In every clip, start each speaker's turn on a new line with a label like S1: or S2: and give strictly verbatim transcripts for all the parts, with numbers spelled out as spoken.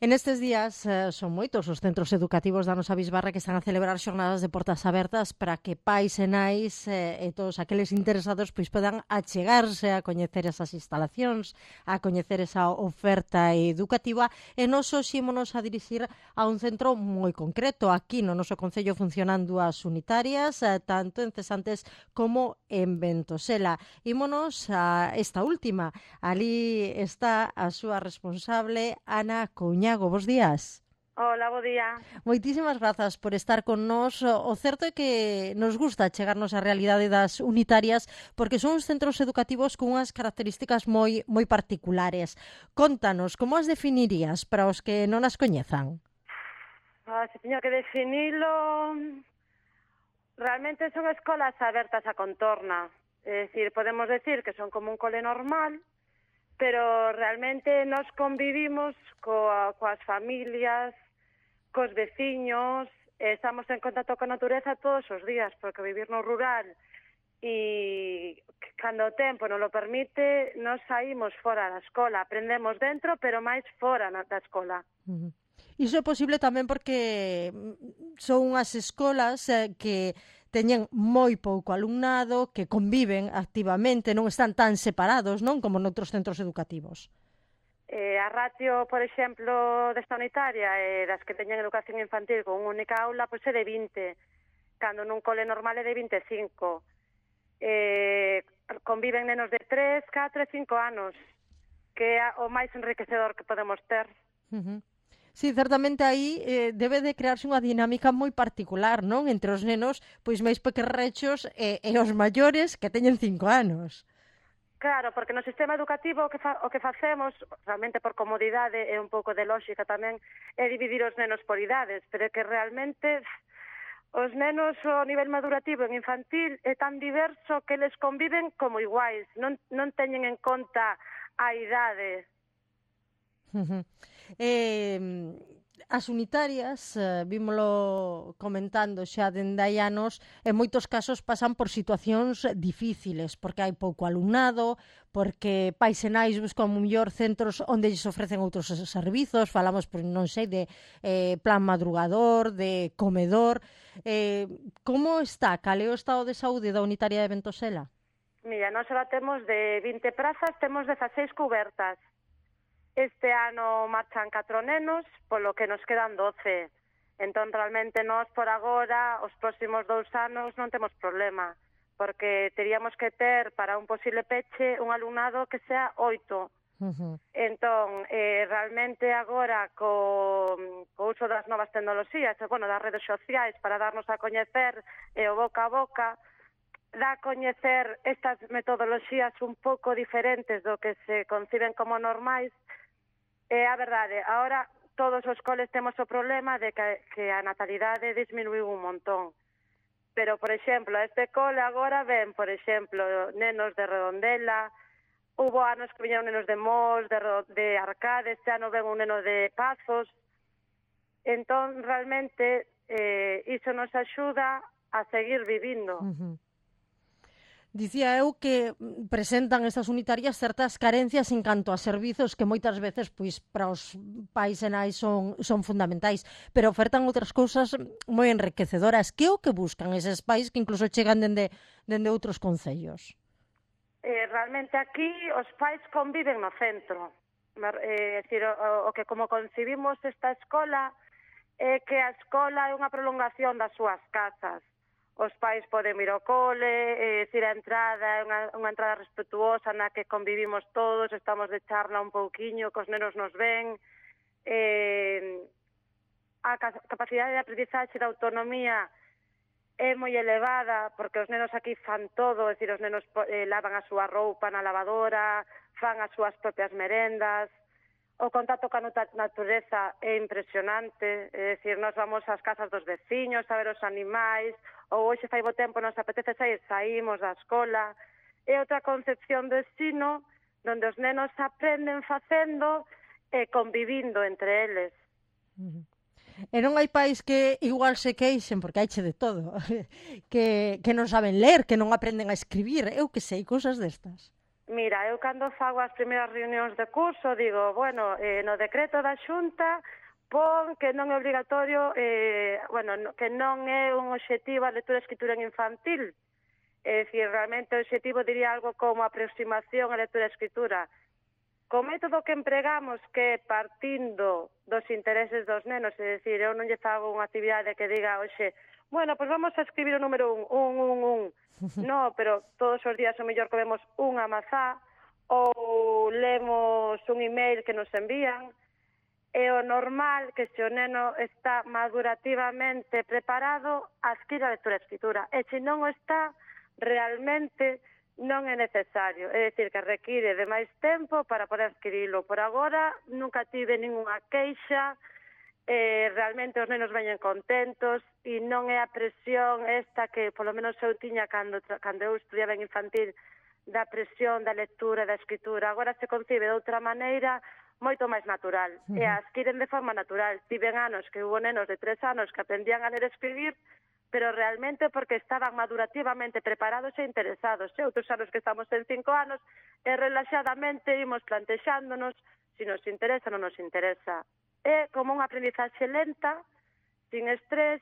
S1: En estes días eh, son moitos os centros educativos da nosa bisbarra que están a celebrar xornadas de portas abertas para que pais e nais eh, e todos aqueles interesados pois podan achegarse a coñecer esas instalacións, a coñecer esa oferta educativa, e nos hoxe ímonos a dirixir a un centro moi concreto. Aquí no noso concello funcionan dúas unitarias, eh, tanto en Cesantes como en Ventosela. Ímonos a esta última. Ali está a súa responsable, Ana Couñago. Bos días.
S2: Hola, bo día.
S1: Moitísimas grazas por estar con nós. O certo é que nos gusta chegarnos á realidade das unitarias porque son uns centros educativos con unhas características moi moi particulares. Contanos, como as definirías para os que non as coñezan?
S2: Ah, se teño que definilo... Realmente son escolas abertas a contorna. É dicir, podemos decir que son como un cole normal, pero realmente nos convivimos coa, coas familias, cos veciños, estamos en contacto con a natureza todos os días, porque vivir no rural e cando o tempo non lo permite, nos saímos fora da escola, aprendemos dentro, pero máis fora da escola.
S1: Uh-huh. Iso é posible tamén porque son unhas escolas eh, que teñen moi pouco alumnado, que conviven activamente, non están tan separados, non, como noutros centros educativos.
S2: Eh, a ratio, por exemplo, desta unitaria e eh, das que teñen educación infantil con unha única aula, pois é de vinte, cando nun cole normal é de vinte e cinco. Eh, conviven nenos de tres, catro e cinco anos, que é o máis enriquecedor que podemos ter.
S1: Uh-huh. Sí, certamente aí eh, debe de crearse unha dinámica moi particular, non? Entre os nenos pois máis pequerrechos e, e os maiores que teñen cinco anos.
S2: Claro, porque no sistema educativo o que, fa, o que facemos, realmente por comodidade e un pouco de lógica tamén, é dividir os nenos por idades, pero é que realmente os nenos o nivel madurativo en infantil é tan diverso que eles conviven como iguais, non, non teñen en conta a idade.
S1: Uh-huh. Eh, as unitarias, eh, vímolo comentando xa dende hai anos, en moitos casos pasan por situacións difíciles, porque hai pouco alumnado, porque pais e nais buscan mellor centros onde lles ofrecen outros servizos, falamos, por non sei, de eh, plan madrugador, de comedor. Eh, como está? Cal é o estado de saúde da unitaria de Ventosela?
S2: Mira, nós ahora temos de vinte prazas, temos dezaseis cubertas. Este ano marchan catro nenos, polo que nos quedan doce. Entón, realmente, nós, por agora, os próximos dous anos non temos problema, porque teríamos que ter, para un posible peche, un alumnado que sea oito. Uh-huh. Entón, eh, realmente, agora, co, co uso das novas tecnoloxías, e, bueno, das redes sociais, para darnos a coñecer e o boca a boca, dá a coñecer estas metodoloxías un pouco diferentes do que se conciben como normais. É a verdade, agora todos os coles temos o problema de que, que a natalidade disminuiu un montón. Pero, por exemplo, a este cole agora ven, por exemplo, nenos de Redondela, hubo anos que viñeron nenos de Mos, de, de Arcade, este ano ven un neno de Pazos. Entón, realmente, eh, iso nos axuda a seguir vivindo.
S1: Uh-huh. Dicía eu que presentan estas unitarias certas carencias en canto a servizos que moitas veces pois para os pais e nais son, son fundamentais, pero ofertan outras cousas moi enriquecedoras. Que é o que buscan eses pais que incluso chegan dende, dende outros concellos?
S2: Eh, realmente aquí os pais conviven no centro. Eh, é dicir, o, o que como concibimos esta escola é que a escola é unha prolongación das súas casas. Os pais poden ir ao cole, é dicir, a entrada é unha, unha entrada respetuosa na que convivimos todos, estamos de charla un pouquiño, que os nenos nos ven. Eh, a capacidade de aprendizaxe da autonomía é moi elevada, porque os nenos aquí fan todo, é dicir, os nenos eh, lavan a súa roupa na lavadora, fan as súas propias merendas. O contacto ca natureza é impresionante, é dicir, nós vamos ás casas dos veciños a ver os animais, ou hoxe fai bo tempo nos apetece sair, saímos da escola. É outra concepción do ensino onde os nenos aprenden facendo e convivindo entre eles.
S1: Uh-huh. E non hai pais que igual se queixen, porque haiche de todo, que, que non saben ler, que non aprenden a escribir, eu que sei, cousas destas.
S2: Mira, eu cando fago as primeiras reunións de curso digo, bueno, eh, no decreto da Xunta pon que non é obrigatorio, eh, bueno, no, que non é un obxectivo a lectura e escritura en infantil. É dicir, realmente o obxectivo diría algo como aproximación a lectura e escritura. Co método que empregamos, que partindo dos intereses dos nenos, é dicir, eu non lle fago unha actividade que diga, oxe, bueno, pois pues vamos a escribir o número un, un, un, un. No, pero todos os días o mellor comemos unha mazá ou lemos un email que nos envían. É o normal que se o neno está madurativamente preparado, adquira a lectura e escritura. E se non o está, realmente non é necesario. É dicir, que require de máis tempo para poder adquirilo. Por agora, nunca tive ninguna queixa. Eh, realmente os nenos veñen contentos e non é a presión esta que polo menos eu tiña cando, cando eu estudiaba en infantil, da presión da lectura e da escritura. Agora se concibe de outra maneira moito máis natural. Uh-huh. E adquiren de forma natural. Tiven anos que hubo nenos de tres anos que aprendían a ler e escribir, pero realmente porque estaban madurativamente preparados e interesados. E outros anos que estamos en cinco anos e relaxadamente imos plantexándonos se nos interesa ou non nos interesa. É como unha aprendizaxe lenta, sin estrés.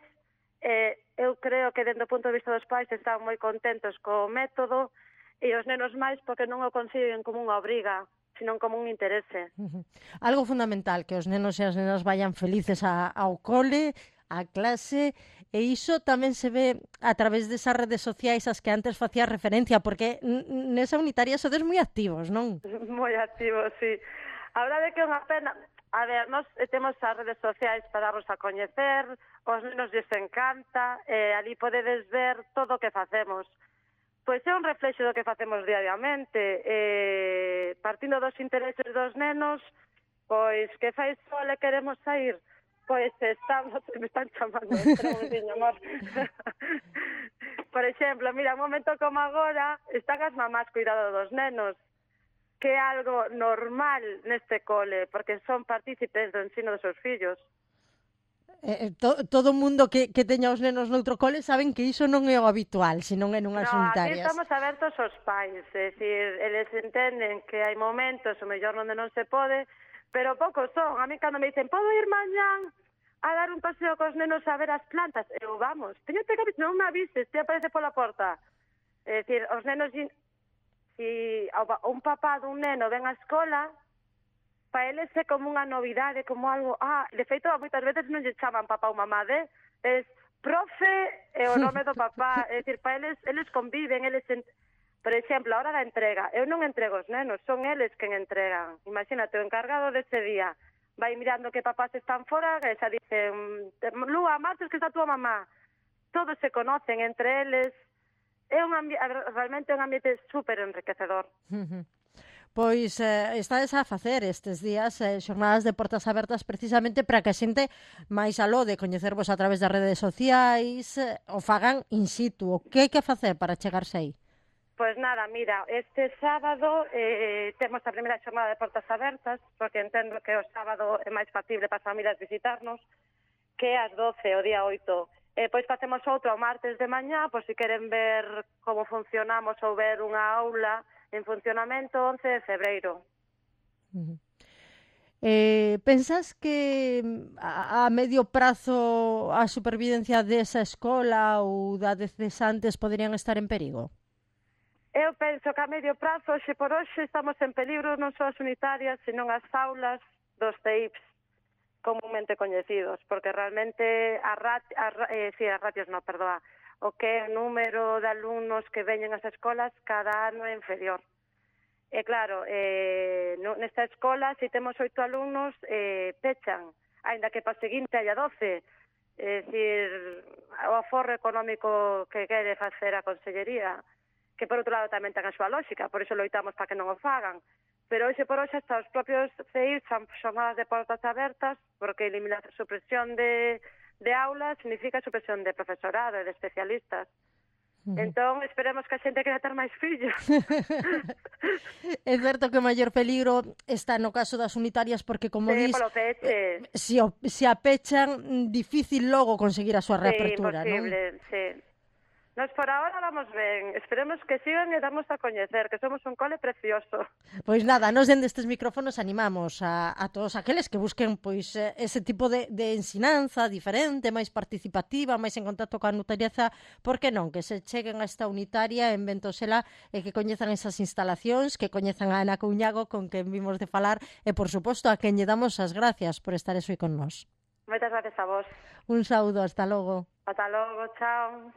S2: Eh, eu creo que, dentro do punto de vista dos pais, están moi contentos co método e os nenos máis porque non o conciben como unha obriga, sino como un interese.
S1: Uh-huh. Algo fundamental, que os nenos e as nenas vayan felices a, ao cole, á clase, e iso tamén se ve a través desas redes sociais as que antes facía referencia, porque nesa unitaria sodes moi activos, non?
S2: Moi activos, sí. A verdade é que é unha pena. A ver, nós temos as redes sociais para darnos a coñecer, os nenos lles encanta, e ali podedes ver todo o que facemos. Pois é un reflexo do que facemos diariamente. Eh, partindo dos intereses dos nenos, pois que fai sol e queremos sair, pois estamos, me están chamando, espera un diño, amor. Por exemplo, mira, un momento como agora, están as mamás cuidado dos nenos, que é algo normal neste cole, porque son partícipes do ensino dos seus fillos.
S1: Eh, to, todo o mundo que, que teña os nenos noutro cole saben que iso non é o habitual, se non é nunhas
S2: no,
S1: unitarias.
S2: Aquí estamos abertos aos pais, é dicir, eles entenden que hai momentos o mellor onde non se pode, pero poucos son. A mí cando me dicen, podo ir mañán a dar un paseo cos nenos a ver as plantas? Eu, vamos, teño que avisar, non me avises, te aparece pola porta. É dicir, os nenos, si un papá dun neno ven á escola, para eles é como unha novidade, como algo, ah, de feito, moitas veces non lle chaman papá ou mamá, de, es profe é o nome do papá, é dicir, para eles, eles conviven, eles, en... por exemplo, a hora da entrega, eu non entrego os nenos, son eles quen entregan. Imagínate, o encargado dese día vai mirando que papás están fora, e xa dicen, Lúa, martes que está a túa mamá. Todos se conocen entre eles. É un ambi- realmente un ambiente super enriquecedor.
S1: Uh-huh. Pois eh, estades a facer estes días eh, xornadas de portas abertas precisamente para que a xente máis aló de coñecervos a través das redes sociais eh, o fagan in situ. O que hai que facer para chegarse aí?
S2: Pois nada, mira, este sábado eh, temos a primeira xornada de portas abertas, porque entendo que o sábado é máis factible para as familias visitarnos, que é ás doce, o día oito. E pois facemos outro o martes de mañá, por si queren ver como funcionamos ou ver unha aula en funcionamento, once de febreiro.
S1: Uh-huh. Eh, pensas que a, a medio prazo a supervivencia desa escola ou da de cesantes poderían estar en perigo?
S2: Eu penso que a medio prazo, hoxe por hoxe, estamos en peligro non só as unitarias, senón as aulas dos C I Ps comúnmente coñecidos, porque realmente a rat, a, eh, sí, as ratios non, perdoa, o que é o número de alumnos que veñen ás escolas cada ano é inferior. E claro, eh, nesta escola, se temos oito alumnos, eh, pechan, aínda que para o seguinte haya doce. É dicir, o aforro económico que quere facer a Consellería, que por outro lado tamén ten a súa lógica, por iso loitamos para que non o fagan. Pero hoxe por hoxe hasta os propios C I fan xornadas de portas abertas, porque eliminar a supresión de, de aulas significa supresión de profesorado e de especialistas. Uh-huh. Entón, esperemos que a xente quere ter máis fillos.
S1: É certo que o maior peligro está no caso das unitarias, porque, como
S2: sí,
S1: dis,
S2: eh,
S1: se, se apechan, difícil logo conseguir a súa reapertura,
S2: sí, imposible,
S1: non?
S2: Sí. Nos por ahora vamos ben, esperemos que sigan e damos a coñecer, que somos un cole precioso.
S1: Pois nada, nos dende estes micrófonos animamos a, a todos aqueles que busquen pois ese tipo de, de ensinanza diferente, máis participativa, máis en contacto coa natureza, por que non, que se cheguen a esta unitaria en Ventosela e que coñezan esas instalacións, que coñezan a Ana Couñago con quen vimos de falar e, por suposto, a quen lle damos as gracias por estar eso con nós.
S2: Moitas gracias a vos.
S1: Un saúdo, hasta logo.
S2: Ata logo, chao.